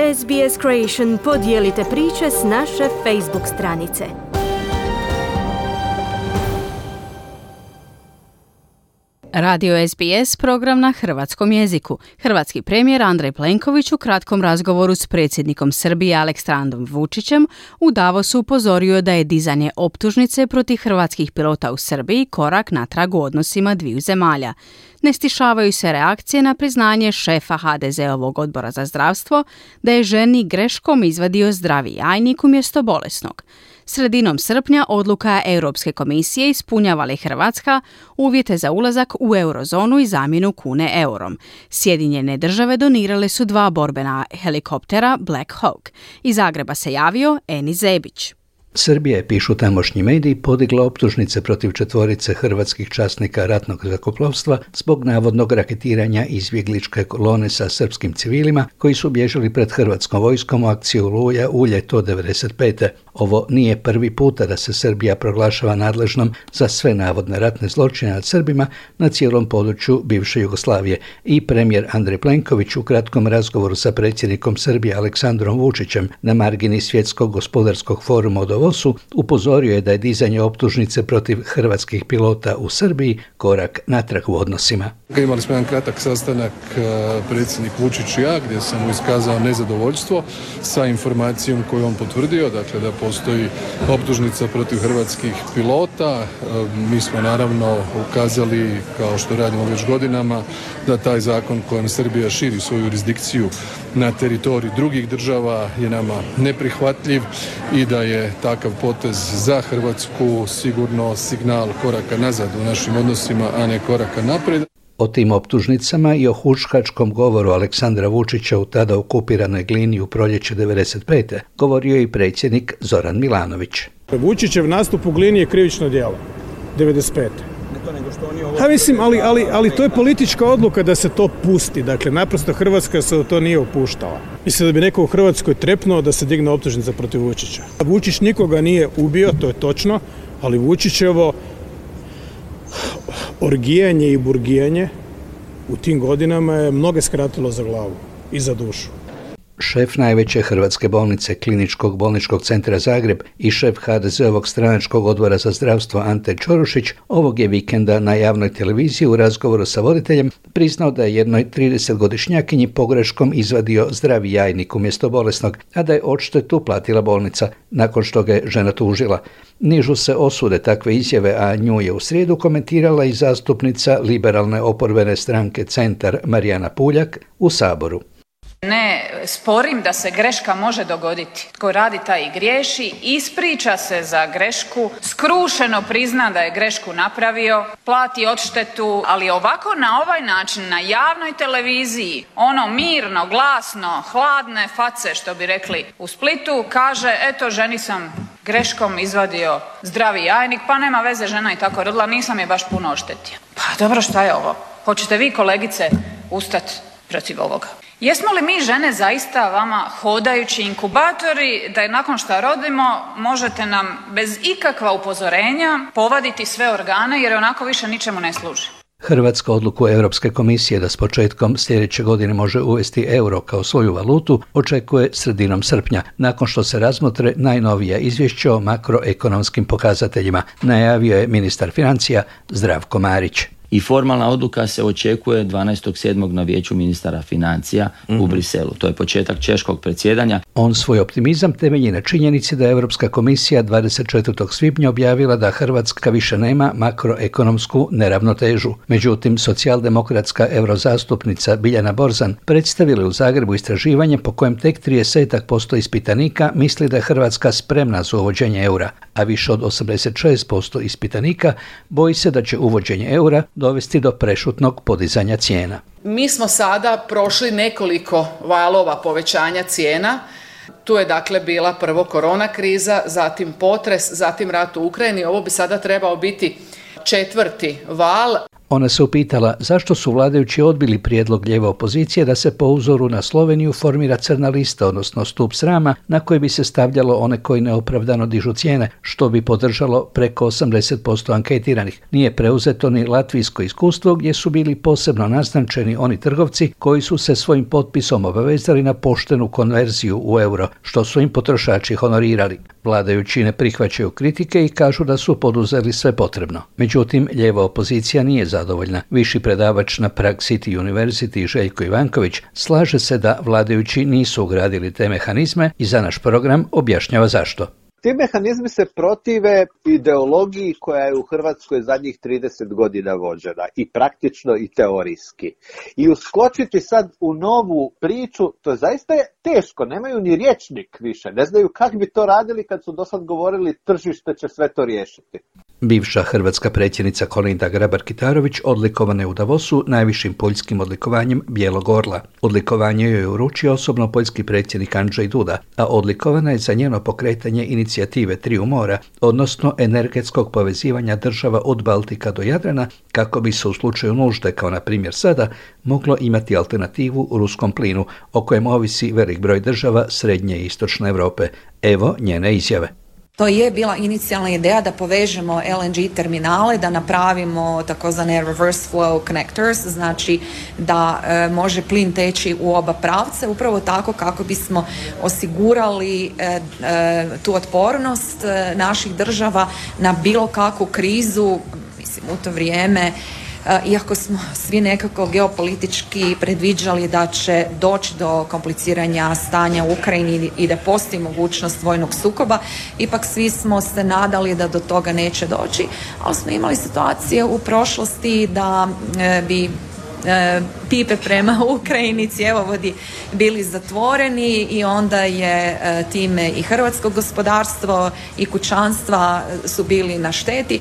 SBS Creation podijelite priče s naše Facebook stranice. Radio SBS, program na hrvatskom jeziku. Hrvatski premijer Andrej Plenković u kratkom razgovoru s predsjednikom Srbije Aleksandrom Vučićem u Davosu upozorio da je dizanje optužnice protiv hrvatskih pilota u Srbiji korak natrag u odnosima dviju zemalja. Ne stišavaju se reakcije na priznanje šefa HDZ-ovog odbora za zdravstvo da je ženi greškom izvadio zdravi jajnik umjesto bolesnog. Sredinom srpnja odluka Europske komisije ispunjava li Hrvatska uvjete za ulazak u eurozonu i zamjenu kune eurom. Sjedinjene države donirale su 2 borbena helikoptera Black Hawk. Iz Zagreba se javio Eni Zebić. Srbija je, pišu tamošnji mediji, podigla optužnice protiv 4 hrvatskih časnika ratnog zrakoplovstva zbog navodnog raketiranja izbjegličke kolone sa srpskim civilima koji su bježali pred hrvatskom vojskom u akciju Oluja u ljeto 1995. Ovo nije prvi puta da se Srbija proglašava nadležnom za sve navodne ratne zločine nad Srbima na cijelom području bivše Jugoslavije. I premijer Andrej Plenković u kratkom razgovoru sa predsjednikom Srbije Aleksandrom Vučićem na margini Svjetskog gospodarskog foruma u Davosu upozorio je da je dizanje optužnice protiv hrvatskih pilota u Srbiji korak natrag u odnosima. Imali smo jedan kratak sastanak predsjednik Vučić i ja gdje sam mu iskazao nezadovoljstvo sa informacijom koju on potvrdio, dakle da postoji optužnica protiv hrvatskih pilota. Mi smo naravno ukazali, kao što radimo već godinama, da taj zakon kojim Srbija širi svoju jurisdikciju na teritorij drugih država je nama neprihvatljiv i da je takav potez za Hrvatsku sigurno signal koraka nazad u našim odnosima, a ne koraka naprijed. O tim optužnicama i o huškačkom govoru Aleksandra Vučića u tada okupiranoj Glini u proljeće 1995. govorio je i predsjednik Zoran Milanović. Vučićev nastup u Glini je krivično djelo 1995. Ali to je politička odluka da se to pusti. Dakle, naprosto Hrvatska se u to nije upuštala. Mislim da bi neko u Hrvatskoj trepnuo da se digne optužnica protiv Vučića. Vučić nikoga nije ubio, to je točno, ali Vučićevo orgijanje i burgijanje u tim godinama je mnoge skratilo za glavu i za dušu. Šef najveće hrvatske bolnice Kliničkog bolničkog centra Zagreb i šef HDZ-ovog stranačkog odbora za zdravstvo Ante Čorušić ovog je vikenda na javnoj televiziji u razgovoru sa voditeljem priznao da je jednoj 30-godišnjakinji pogreškom izvadio zdravi jajnik umjesto bolesnog, a da je odštetu platila bolnica nakon što ga je žena tužila. Nižu se osude takve izjave, a nju je u srijedu komentirala i zastupnica liberalne oporbene stranke Centar Marijana Puljak u Saboru. Ne sporim da se greška može dogoditi. Tko radi taj i griješi, ispriča se za grešku, skrušeno prizna da je grešku napravio, plati odštetu, ali ovako na ovaj način na javnoj televiziji, ono mirno, glasno, hladne face što bi rekli u Splitu, kaže eto ženi sam greškom izvadio zdravi jajnik, pa nema veze, žena je tako rodila, nisam je baš puno oštetio. Pa dobro, šta je ovo? Hoćete vi kolegice ustati protiv ovoga? Jesmo li mi žene zaista vama hodajući inkubatori da je nakon što rodimo možete nam bez ikakva upozorenja povaditi sve organe jer onako više ničemu ne služi? Hrvatska odluku Europske komisije da s početkom sljedeće godine može uvesti euro kao svoju valutu očekuje sredinom srpnja, nakon što se razmotre najnovija izvješća o makroekonomskim pokazateljima, najavio je ministar financija Zdravko Marić. I formalna odluka se očekuje 12.7. na vijeću ministara financija u Briselu. To je početak češkog predsjedanja. On svoj optimizam temelji na činjenici da je Europska komisija 24. svibnja objavila da Hrvatska više nema makroekonomsku neravnotežu. Međutim, socijaldemokratska eurozastupnica Biljana Borzan predstavila u Zagrebu istraživanje po kojem tek 30% ispitanika misli da je Hrvatska spremna za uvođenje eura, a više od 86% ispitanika boji se da će uvođenje eura dovesti do prešutnog podizanja cijena. Mi smo sada prošli nekoliko valova povećanja cijena. Tu je dakle bila prvo korona kriza, zatim potres, zatim rat u Ukrajini. Ovo bi sada trebao biti 4. val. Ona se upitala zašto su vladajući odbili prijedlog lijeve opozicije da se po uzoru na Sloveniju formira crna lista, odnosno stup srama na koji bi se stavljalo one koji neopravdano dižu cijene, što bi podržalo preko 80% anketiranih. Nije preuzeto ni latvijsko iskustvo gdje su bili posebno naznačeni oni trgovci koji su se svojim potpisom obavezali na poštenu konverziju u euro, što su im potrošači honorirali. Vladajući ne prihvaćaju kritike i kažu da su poduzeli sve potrebno. Međutim, lijeva opozicija nije zadovoljna. Viši predavač na Prague City University Željko Ivanković slaže se da vladajući nisu ugradili te mehanizme i za naš program objašnjava zašto. Ti mehanizmi se protive ideologiji koja je u Hrvatskoj zadnjih 30 godina vođena, i praktično i teorijski. I uskočiti sad u novu priču, to zaista je teško, nemaju ni rječnik više, ne znaju kako bi to radili kad su dosad govorili tržište će sve to riješiti. Bivša hrvatska predsjednica Kolinda Grabar-Kitarović odlikovana je u Davosu najvišim poljskim odlikovanjem Bijelog orla. Odlikovanje joj je uručio osobno poljski predsjednik Andrzej Duda, a odlikovana je za njeno pokretanje inicijative Triju mora, odnosno energetskog povezivanja država od Baltika do Jadrana, kako bi se u slučaju nužde, kao na primjer sada, moglo imati alternativu u ruskom plinu, o kojem ovisi velik broj država Srednje i Istočne Europe. Evo njene izjave. To je bila inicijalna ideja da povežemo LNG terminale, da napravimo takozvane reverse flow connectors, znači da može plin teći u oba pravca, upravo tako kako bismo osigurali tu otpornost naših država na bilo kakvu krizu. Mislim, u to vrijeme, iako smo svi nekako geopolitički predviđali da će doći do kompliciranja stanja u Ukrajini i da postoji mogućnost vojnog sukoba, ipak svi smo se nadali da do toga neće doći, ali smo imali situacije u prošlosti da bi pipe prema Ukrajini, cjevovodi bili zatvoreni i onda je time i hrvatsko gospodarstvo i kućanstva su bili na šteti.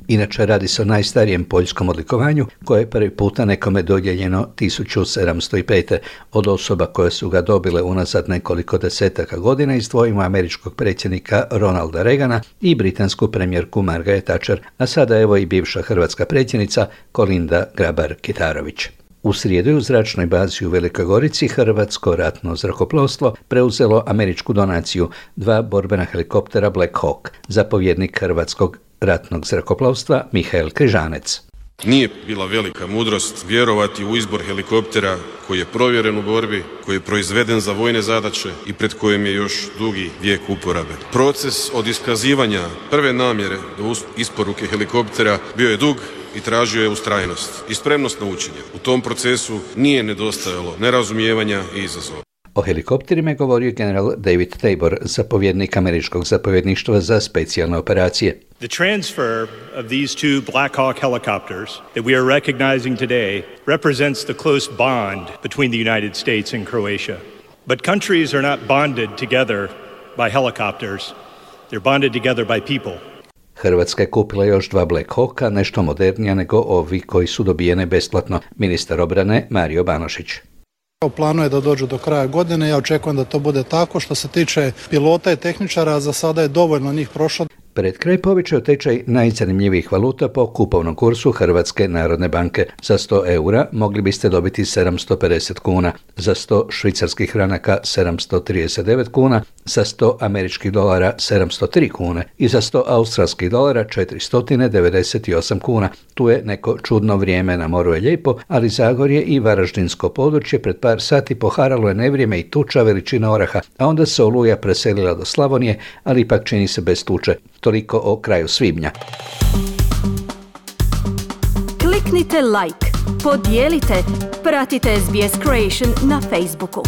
Inače, radi se o najstarijem poljskom odlikovanju koje je prvi puta nekome dodijeljeno 1705. Od osoba koje su ga dobile unazad nekoliko desetaka godina izdvojimo američkog predsjednika Ronalda Reagana i britansku premijerku Margaret Thatcher, a sada evo i bivša hrvatska predsjednica Kolinda Grabar-Kitarović. U srijedu u zračnoj bazi u Velikoj Gorici hrvatsko ratno zrakoplovstvo preuzelo američku donaciju 2 borbena helikoptera Black Hawk. Zapovjednik hrvatskog ratnog zrakoplovstva Mihael Križanec. Nije bila velika mudrost vjerovati u izbor helikoptera koji je provjeren u borbi, koji je proizveden za vojne zadaće i pred kojim je još dugi vijek uporabe. Proces od iskazivanja prve namjere do isporuke helikoptera bio je dug i tražio je ustrajnost i spremnost na učenje. U tom procesu nije nedostajalo nerazumijevanja i izazova. O helikopterima je govorio general David Tabor, zapovjednik američkog zapovjedništva za specijalne operacije. The transfer of these two Black Hawk helicopters that we are recognizing today represents the close bond between the United States and Croatia. But countries are not bonded together by helicopters. They're bonded together by people. Hrvatska je kupila još 2 Black Hawka, nešto modernija nego ovi koji su dobijene besplatno. Ministar obrane Mario Banošić. U planu je da dođu do kraja godine, ja očekujem da to bude tako. Što se tiče pilota i tehničara, za sada je dovoljno njih prošlo. Pred kraj povećao tečaj najzanimljivijih valuta po kupovnom kursu Hrvatske narodne banke. Za 100 eura mogli biste dobiti 750 kuna, za 100 švicarskih franaka 739 kuna, za 100 američkih dolara 703 kune i za 100 australskih dolara 498 kuna. Tu je neko čudno vrijeme, na moru je lijepo, ali Zagorje i Varaždinsko područje pred par sati poharalo je nevrijeme i tuča veličina oraha, a onda se oluja preselila do Slavonije, ali ipak čini se bez tuče. Toliko o kraju svibnja. Kliknite like, podijelite, pratite SBS Creation na Facebooku.